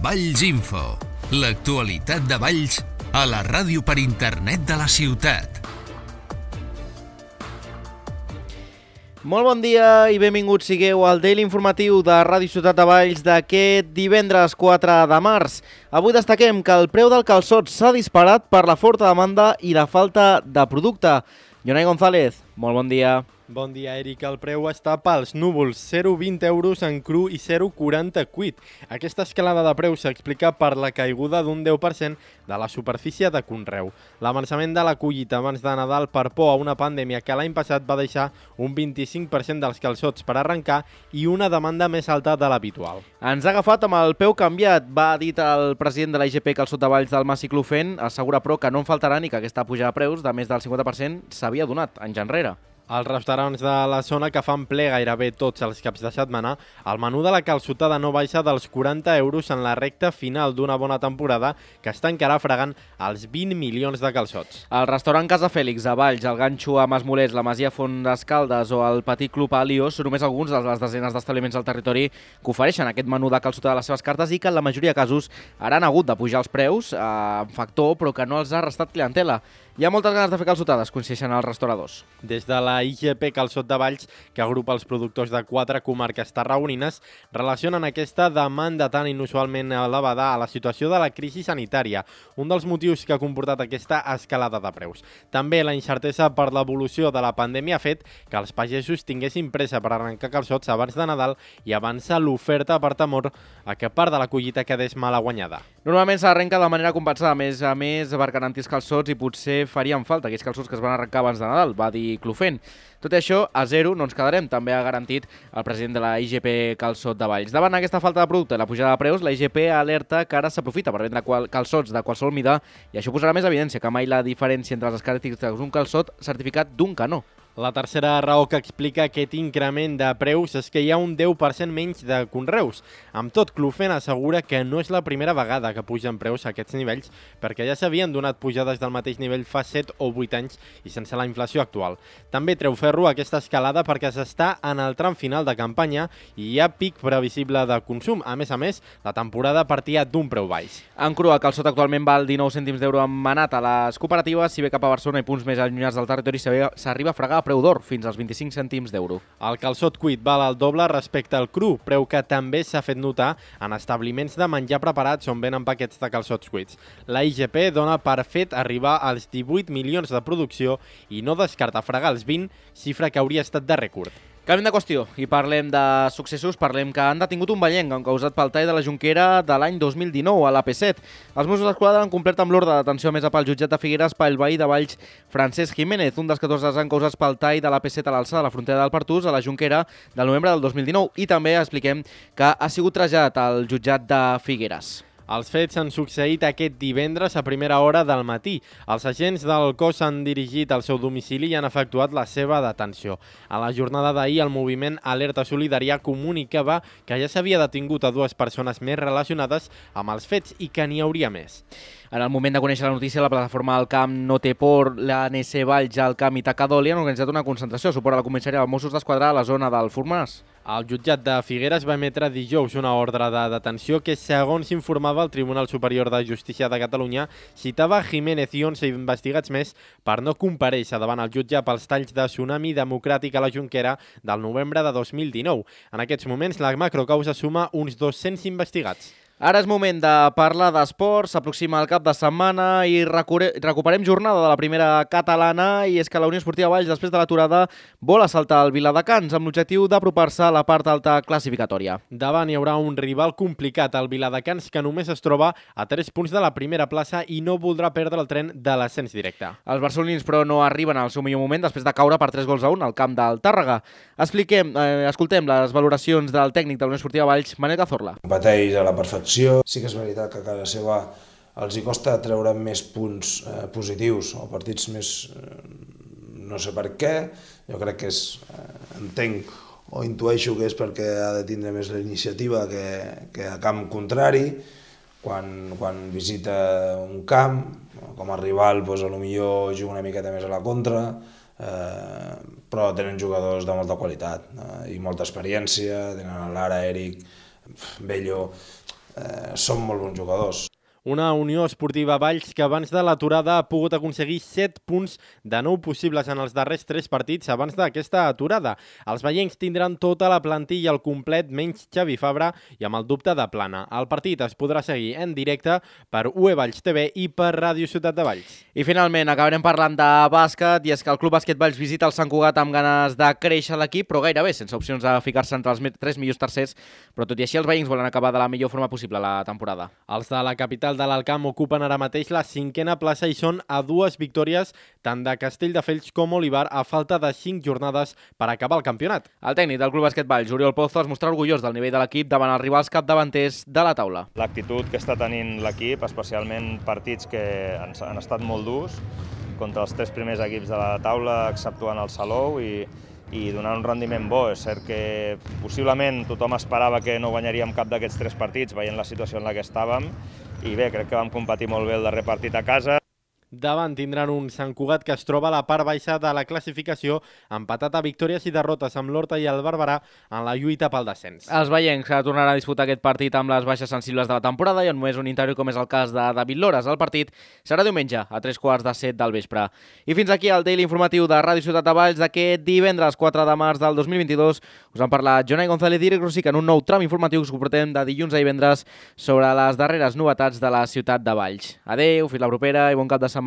Valls Info, l'actualitat de Valls a la ràdio per internet de la ciutat. Molt bon dia i benvinguts sigueu al Daily Informatiu de Ràdio Ciutat de Valls d'aquest divendres 4 de març. Avui destaquem que el preu del calçot s'ha disparat per la forta demanda i la falta de producte. Jonai González, molt bon dia. Bon dia, Eric. El preu està pels núvols, 0,20 euros en cru i 0,40 cuit. Aquesta escalada de preu s'explica per la caiguda d'un 10% de la superfície de conreu. L'avançament de la collita abans de Nadal per por a una pandèmia que l'any passat va deixar un 25% dels calçots per arrencar i una demanda més alta de l'habitual. Ens ha agafat amb el peu canviat, va dir el president de la IGP Calçot de Valls del Mas Ciclofent, assegura però que no en faltaran i que aquesta pujada de preus de més del 50% s'havia donat anys enrere. Als restaurants de la zona que fan ple gairebé tots els caps de setmana, el menú de la calçotada no baixa dels 40 euros en la recta final d'una bona temporada que està encara fregant els 20 milions de calçots. El restaurant Casa Fèlix a Valls, el Ganxo a Masmolers, la Masia Font d'Escaldes o el Petit Club a Aliós són només alguns de les desenes d'establiments del territori que ofereixen aquest menú de calçotada a les seves cartes i que en la majoria de casos ara han hagut de pujar els preus, factor, però que no els ha restat clientela. Hi ha moltes ganes de fer calçotades, coincideixen els restauradors. Des de la IGP Calçot de Valls, que agrupa els productors de 4 comarques tarragonines, relacionen aquesta demanda tan inusualment elevada a la situació de la crisi sanitària, un dels motius que ha comportat aquesta escalada de preus. També la incertesa per l'evolució de la pandèmia ha fet que els pagesos tinguessin pressa per arrencar calçots abans de Nadal i avança l'oferta per temor a que part de la collita quedés mala guanyada. Normalment s'arrenca de manera compensada, a més per garantir els calçots i potser farien falta aquells calçots que es van arrencar abans de Nadal, va dir Clofent. Tot i això, a zero no ens quedarem, també ha garantit el president de la IGP Calçot de Valls. Davant aquesta falta de producte i la pujada de preus, la IGP alerta que ara s'aprofita per vendre calçots de qualsevol mida i això posarà més evidència que mai la diferència entre les característiques d'un calçot certificat d'un que no. La tercera raó que explica aquest increment de preus és que hi ha un 10% menys de conreus. Amb tot, Clofent assegura que no és la primera vegada que pugen preus a aquests nivells, perquè ja s'havien donat pujades del mateix nivell fa 7 o 8 anys i sense la inflació actual. També treu ferro aquesta escalada perquè s'està en el tram final de campanya i hi ha pic previsible de consum. A més, la temporada partia d'un preu baix. En cru, el calçot actualment val 19 cèntims d'euro en manat a les cooperatives, si bé cap a Barcelona i punts més allunyats del territori s'arriba a fregar preu d'or, fins als 25 cèntims d'euro. El calçot cuit val el doble respecte al cru, preu que també s'ha fet notar en establiments de menjar preparats on venen paquets de calçots cuits. La IGP dona per fet arribar als 18 milions de producció i no descarta fregar els 20, xifra que hauria estat de rècord. Canviem de qüestió i parlem de successos, parlem que han detingut un vallenc causat pel tall de la Jonquera de l'any 2019 a l'AP7. Els Mossos d'Esquadra han complert amb l'ordre de detenció emesa pel jutjat de Figueres pel veí de Valls Francesc Jiménez, un dels 14 han causats pel tall de l'AP7 a l'alçada de la frontera del Pertús a la Jonquera del novembre del 2019 i també expliquem que ha sigut traslladat al jutjat de Figueres. Els fets han succeït aquest divendres a primera hora del matí. Els agents del cos s'han dirigit al seu domicili i han efectuat la seva detenció. A la jornada d'ahir, el moviment Alerta Solidària comunicava que ja s'havia detingut a 2 persones més relacionades amb els fets i que n'hi hauria més. En el moment de conèixer la notícia, la plataforma del Camp No Té Por, l'ANC Valls, el Camp i Tacadoli han organitzat una concentració a suport a la comissaria de Mossos d'Esquadra a la zona del Fornàs. El jutjat de Figueres va emetre dijous una ordre de detenció que, segons informava el Tribunal Superior de Justícia de Catalunya, citava Jiménez i 11 investigats més per no comparèixer davant el jutge pels talls de Tsunami Democràtic a la Jonquera del novembre de 2019. En aquests moments, la macrocausa suma uns 200 investigats. Ara és moment de parlar d'esports, s'aproxima el cap de setmana i recuperem jornada de la primera catalana i és que la Unió Esportiva Valls, després de l'aturada, vol assaltar el Viladecans amb l'objectiu d'apropar-se a la part alta classificatòria. Davant hi haurà un rival complicat, el Viladecans, que només es troba a 3 punts de la primera plaça i no voldrà perdre el tren de l'ascens directe. Els barcelonins, però, no arriben al seu millor moment després de caure per 3-1 al camp del Tàrrega. Escoltem les valoracions del tècnic de la Unió Esportiva Valls, Manel Cazorla. Competeix a la perfecció. Sí que és veritat que a casa seva els hi costa treure més punts positius o partits més... no sé per què, jo crec que és... entenc o intueixo que és perquè ha de tindre més la iniciativa que a camp contrari, quan visita un camp, com a rival potser juga una miqueta més a la contra, però tenen jugadors de molta qualitat i molta experiència, tenen l'Ara, Eric, Bello, són molt bons jugadors. Una Unió Esportiva Valls que abans de l'aturada ha pogut aconseguir 7 punts de 9 possibles en els darrers 3 partits abans d'aquesta aturada. Els veiencs tindran tota la plantilla al complet menys Xavi Fabra i amb el dubte de Plana. El partit es podrà seguir en directe per UE Valls TV i per Ràdio Ciutat de Valls. I finalment acabarem parlant de bàsquet, i és que el Club Bàsquet Valls visita el Sant Cugat amb ganes de créixer l'equip, però gairebé sense opcions de ficar-se entre els 3 millors tercers, però tot i així els veiencs volen acabar de la millor forma possible la temporada. Els de la capital de l'Alcamp ocupen ara mateix la 5a plaça i són a 2 victòries tant de Castelldefels com Olivar a falta de 5 jornades per acabar el campionat. El tècnic del Club Bàsquet Valls, Oriol Pozo, es mostra orgullós del nivell de l'equip davant els rivals capdavanters de la taula. L'actitud que està tenint l'equip, especialment partits que han estat molt durs, contra els 3 primers equips de la taula, exceptuant el Salou, i donant un rendiment bo. És cert que possiblement tothom esperava que no guanyaríem cap d'aquests 3 partits, veient la situació en la que estàvem, i bé, crec que vam competir molt bé el darrer partit a casa. Davant tindran un Sant Cugat que es troba a la part baixa de la classificació, empatat a victòries i derrotes amb l'Horta i el Barberà en la lluita pel descens. Els veiencs tornaran a disputar aquest partit amb les baixes sensibles de la temporada i on només un interior, com és el cas de David Lores. El partit serà diumenge a 3:15 del vespre. I fins aquí el daily informatiu de Ràdio Ciutat de Valls d'aquest divendres 4 de març del 2022. Us han parlat Jonai González i Eric Rosic en un nou tram informatiu que us portem de dilluns a divendres sobre les darreres novetats de la ciutat de Valls. Adeu, fins la propera i bon cap de setmana.